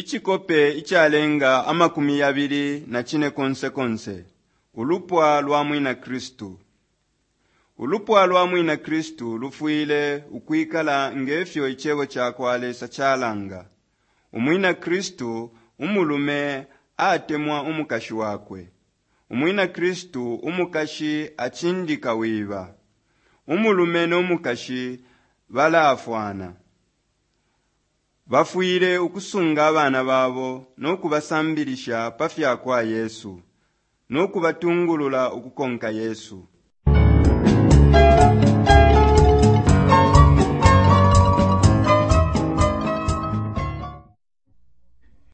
Icikope icalenga 25 Ulupwa lwa Mwina Kristu. Ulupwa lwa Mwina Kristu lufwile ukwikala nge fyo Icebo ca kwa Lesa calanga. Umwina Kristu umulume atemwa umukashi wakwe. Umwina Kristu umukashi acindika wiba. Umulume no mukashi bala-afwana. Bafwile ukusunga abana babo no kubasambilisha pa fya kwa Yesu no kubatungulula ukukonka Yesu.